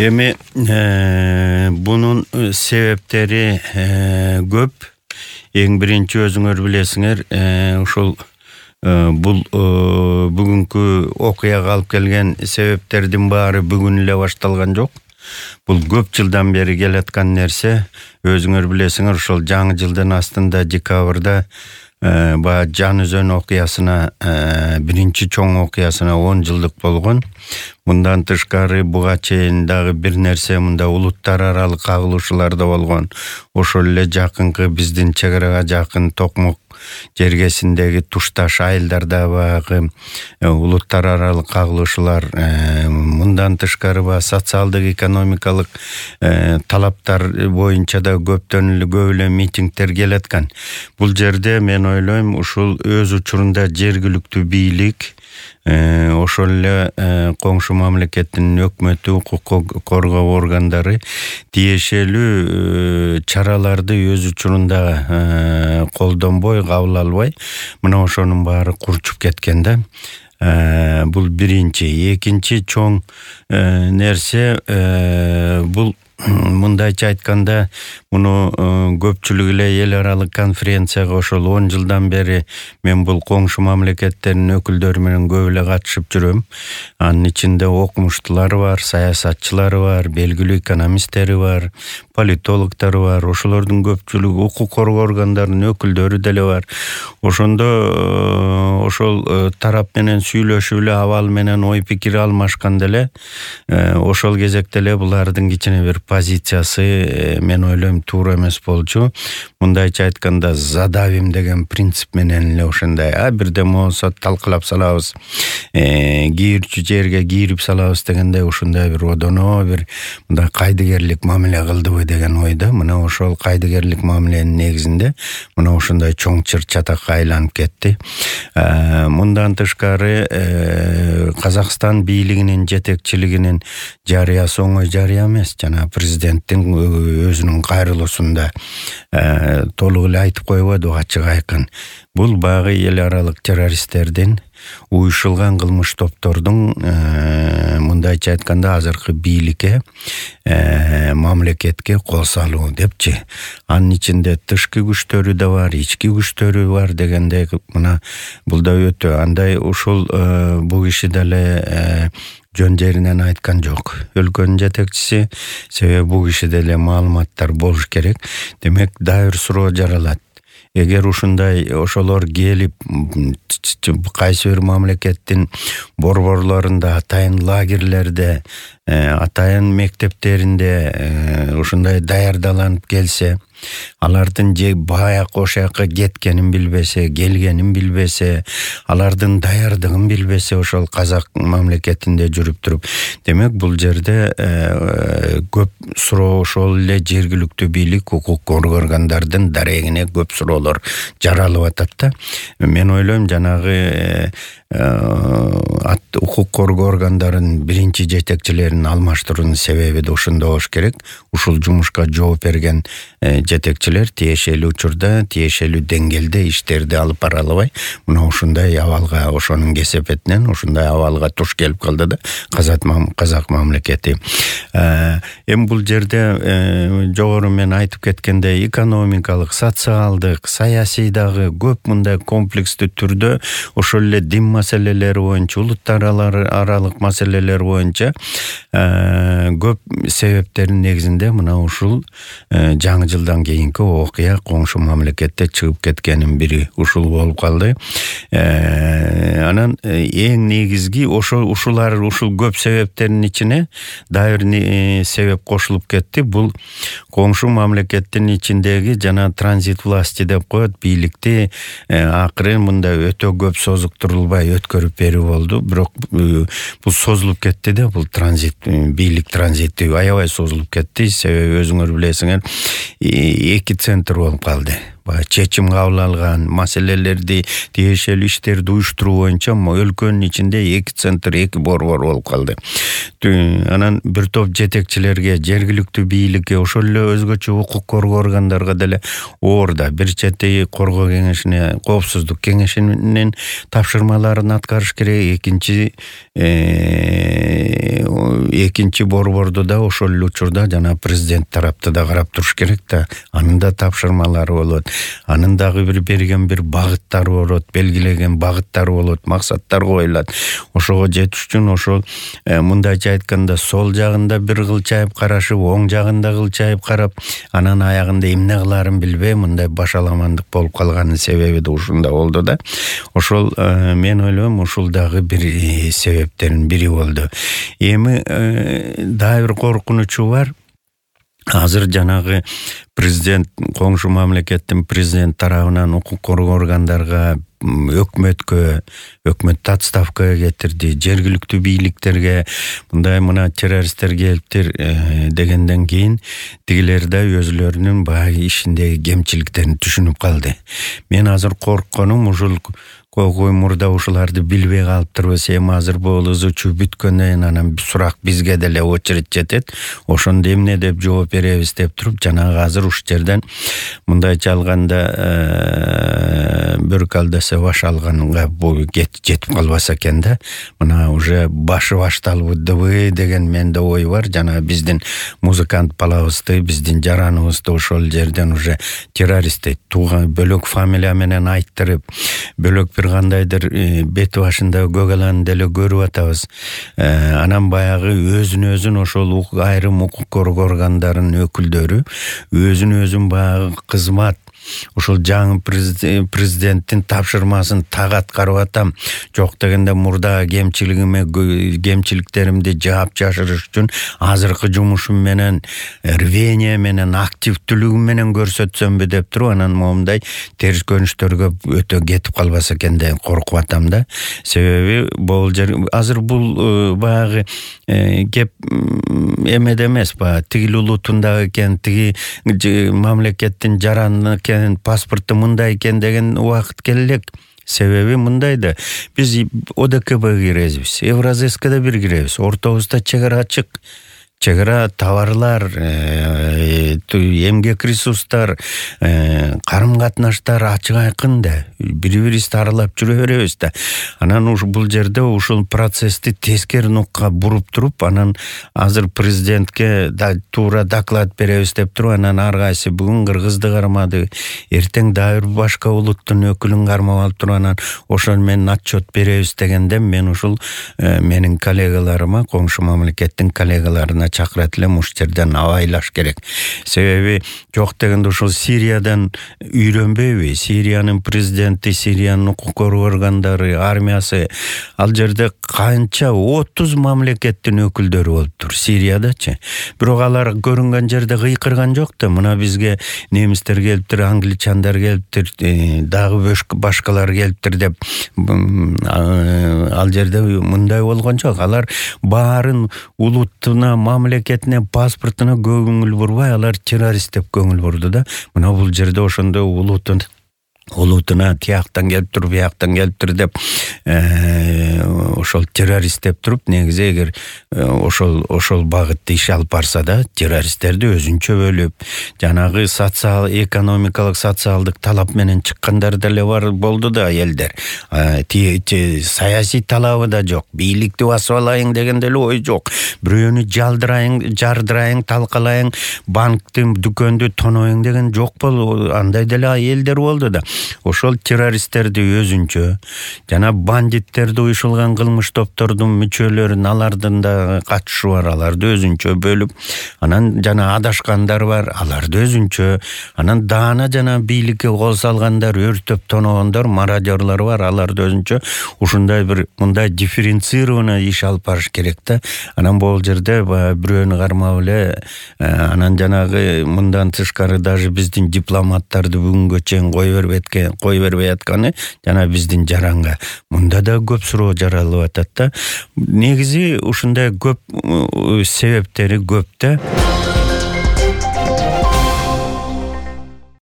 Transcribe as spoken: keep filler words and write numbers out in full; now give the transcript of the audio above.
Эми бунун себептери көп. Эң биринчи өзүңөр билесиңер, ушул бул бүгүнкү окуяга алып келген себептердин баары бүгүн эле башталган жок. Бул көп жылдан бери келаткан нерсе. Өзүңөр билесиңер, ушул жаңы жылдын астында декабрда ба Жан өзөн окуясына биринчи чоң окуясына он жылдык болгон. Мындан тышкары буга чейин дагы бир нерсе мында улуттар аралык кагылышуулар да болгон. Ошол эле жакынкы биздин чек арага жакын Токмок жергесиндеги тушташ айылдарда багы улуттар аралык кагылышуулар, мындан тышкары ба социалдык экономикалык талаптар боюнча да көптөн эле көп эле митингдер келаткан. Бул жерде мен ойлойм, ушул өз учурунда жергиликтүү бийлик, ошол эле коңшу мамлекеттин өкмөтү, укук коргоо органдары тиешелүү чараларды өз учурунда колдонбой, кабыл албай, мына ошонун баары курчуп кеткен да. Бул биринчи. Экинчи чоң нерсе, бул мындайча айтканда, муну көпчүлүк эле эл аралык конференцияга ошол он жылдан бери мен бул коңшу мамлекеттердин өкүлдөрү менен көп эле катышып жүрөм. Анын ичинде окумуштуулар бар, саясатчылары бар, белгилүү экономисттери бар, политологдору бар. Ошолордун көпчүлүгү укук коргоо органдарынын өкүлдөрү деле бар. Ошондо ошол тарап менен сүйлөшүп эле, абал менен ой пикир алмашканда эле, ошол кезекте эле булардын кичине бир позициясы, мен ойлойм, туура эмес болчу. Мындайча айтканда, задавим деген принцип менен эле ошондой, а бирдеме болсо талкалап салабыз, кийирчү жерге кийирип салабыз дегендей, ошондой бир одоно бир мындай кайдыгерлик мамиле кылдыбы деген ойда. Мына ошол кайдыгерлик мамиленин негизинде мына ошондой чоң чыр чатакка айланып кетти. Мындан тышкары Казакстан бийлигинин жетекчилигинин жарыясы оңой жарыя эмес. Жана президенттин өзүнүн кайрылуусунда толук эле айтып койбоду, ачык айкын. Бул багы эл аралык террористтердин, уюшулган кылмыш топтордун мындайча айтканда азыркы бийликке, мамлекетке кол салуу депчи. Анын ичинде тышкы күчтөрү да бар, ички күчтөрү бар дегендей, мына бул да өтө андай. Ушул бул киши деле жөн жеринен айткан жок. Өлкөнүн жетекчиси, себеби бул кишиде эле маалыматтар болуш керек. Демек, дайыр суроо жаралат. Эгер ушундай ошолор келип кайсы бир мамлекеттин борборлорунда, атайын лагерлерде, атайын мектептеринде ушундай даярдаланып келсе, алардын же баяк ошояка кеткенин билбесе, келгенин билбесе, алардын даярдыгын билбесе, ошол казак мамлекетинде жүрүп туруп, демек бул жерде көп суроо, ошол эле жергиликтүү бийлик, укук коргоо органдардын дарегине көп суроолор жаралып атат да. Мен ойлойм, жанагы укук коргоо органдарынын биринчи жетекчилерин алмаштыруунун себеби да ошондо болуш керек. Ушул жумушка жооп берген жетекчилер тиешелүү учурда, тиешелүү деңгээлде иштерди алып бара албай, мына ушундай абалга, ошонун кесепетинен ушундай абалга туш келип калды да казак мамлекети. Эми бул жерде жогору мен айтып кеткендей, экономикалык, социалдык, саясий дагы көп мындай комплекстүү түрдө ошол эле дин маселелери боюнча, улуттар аралык маселелер боюнча көп себептердин негизинде мына ушул жаңы жылдан кийинки окуя коңшу мамлекетте чыгып кеткенин бири ушул болуп калды. Анан эң негизги ошол ушулар ушул көп себептердин ичине дагы бир себеп кошулуп кетти. Бул коңшу мамлекеттин ичиндеги жана транзит власти деп коет, бийликти акыры мындай өтө көп созуктурулбай өткөрүп берүү болду. Бирок бул созулуп кетти да, бул транзит, бийлик транзити аябай созулуп кетти. Себеби өзүңөр билесиңер, эки центр болуп калды. Чечим кабыл алган маселелерди, тиешелүү иштерди уюштуруу боюнча өлкөнүн ичинде эки центр, эки борбор болуп калды. анан бир топ жетекчилерге, жергиликтүү бийликке, ошол эле өзгөчө укук коргоо органдарга деле орда. Бир чети коргоо кеңешине, коопсуздук кеңешинин тапшырмаларын аткарыш керек. Экинчи экинчи борборду да ошол эле учурда жана президент тарапты да карап туруш керек да. Анын да тапшырмалары болот. Анын дагы бир берген бир багыттары болот, белгилеген багыттары болот, максаттар коюлат. Ошого жетиш үчүн ошол мындайча айтканда сол жагында бир кылчайып карашып, оң жагында кылчайып карап, анан аягында эмне кылаарын билбей мындай башаламандык болуп калганын себеби да ушунда болду да. Ошол мен ойлойм ушул дагы бир себептердин бири болду. Эми дагы бир коркунучу бар. Азыр жанагы президент, коңшу мамлекеттин президент тарабынан укук коргоо органдарга, өкмөткө, өкмөттү отставкага кетирди, жергиликтүү бийликтерге мындай мына террористтер келиптир дегенден кийин тигилер да өзүлөрүнүн баягы ишиндеги кемчиликтерин түшүнүп калды. Мен азыр коркконум ушул Кокуй мурда ушуларды билбей калыптырбыз. Эми азыр бул ызычуу бүткөндөн кийин анан сурак бизге деле очередь жетет. Ошондо эмне деп жооп беребиз деп туруп, жанагы азыр уш жерден мындайча алганда бөрк алдаса баш алганга бул жетип калбаса экен да. Мына уже башы башталбыдыбы деген менде ой бар. Жана биздин музыкант балабызды, биздин жараныбызды ошол жерден уже террористти тууган бөлөк фамилия менен айттырып, бөлөк бир кандайдыр бети башында көгалан деле көрүп атабыз. Анан баягы өзүн өзүн ошол айрым укук коргоо органдарынын өкүлдөрү өзүн өзүн баягы кызмат ошол жаңы президенттин тапшырмасын так аткарып атам, жок дегенде мурда кемчилигиме кемчиликтеримди жаап жашырыш үчүн азыркы жумушум менен, рвение менен, активдүүлүгүм менен көрсөтсөмбү деп туруп, анан момундай терс көрүнүштөргө өтө кетип калбаса экен деп коркуп атам да. Себеби бул жер азыр бул баягы кеп эмеде эмес, баягы тигил улутунда экен, тиги мамлекеттин жараны экен, паспорту мындай экен деген убакыт келелек. Себеби мындай да, биз О Д К Б киребиз, Евразэскада бир киребиз, ортобузда чек ара ачык. Чегара товарлар, эмгек ресурстар, карым катнаштар ачык айкын да. Бири-бирибизди аралап жүрө беребиз да. Анан уш бул жерде ушул процессти тескери нукка буруп туруп, анан азыр президентке да туура доклад беребиз деп туруп, анан ар кайсы бүгүн кыргызды кармады, эртең дагы бир башка улуттун өкүлүн кармап алып туруп, анан ошол менен отчет беребиз дегенде мен ушул менин коллегаларыма, коңшу мамлекеттин коллегаларына чакырат элем, уш жерден абайлаш керек. Себеби жок дегенде ушул Сириядан үйрөнбөйбү? Сириянын президенти, Сириянын укук коргоо органдары, армиясы, ал жерде канча отуз мамлекеттин өкүлдөрү болуптур Сириядачы. Бирок алар көрүнгөн жерде кыйкырган жок да. Мына бизге немистер келиптир, англичандар келиптир, дагы башкалар келиптир деп ал жерде мындай болгон жок. Алар баарын улуттуна, мамлекетине, паспортуна көңүл бурбай, алар террорист деп көңүл бурду да. Мына бул жерде ошондо улутун улутуна тияктан келиптир, бияктан келиптир деп ошол террорист деп туруп, негизи эгер ошол ошол багытты иш алып барса да, террористтерди өзүнчө бөлүп, жанагы социал экономикалык социалдык талап менен чыккандар деле бар болду да элдер. Саясий талабы да жок, бийликти басып алайын деген деле ой жок. Бирөөнү жалдырайын, жардырайын, талкалайын, банктын дүкөндү тоноюң деген жок болду. Андай деле элдер болду да. Ошол террористтерди өзүнчө, жана бандиттерди, уюшулган кылмыш топтордун мүчөлөрүн, алардын да катышы бар, аларды өзүнчө бөлүп, анан жана адашкандар бар, аларды өзүнчө, анан даана жана бийликке кол салгандар, өртөп тоногондор, мародёрлар бар, аларды өзүнчө. Ушундай бир мындай дифференцированный иш алып барыш керек да. Анан бул жерде бирөөнү кармап эле, анан жанагы мындан тышкары даже биздин дипломаттарды бүгүнгө чейин кой бербей кой бербей атканы жана биздин жаранга мында да көп суроо жаралып атат да. Негизи ушундай көп себептери көп да.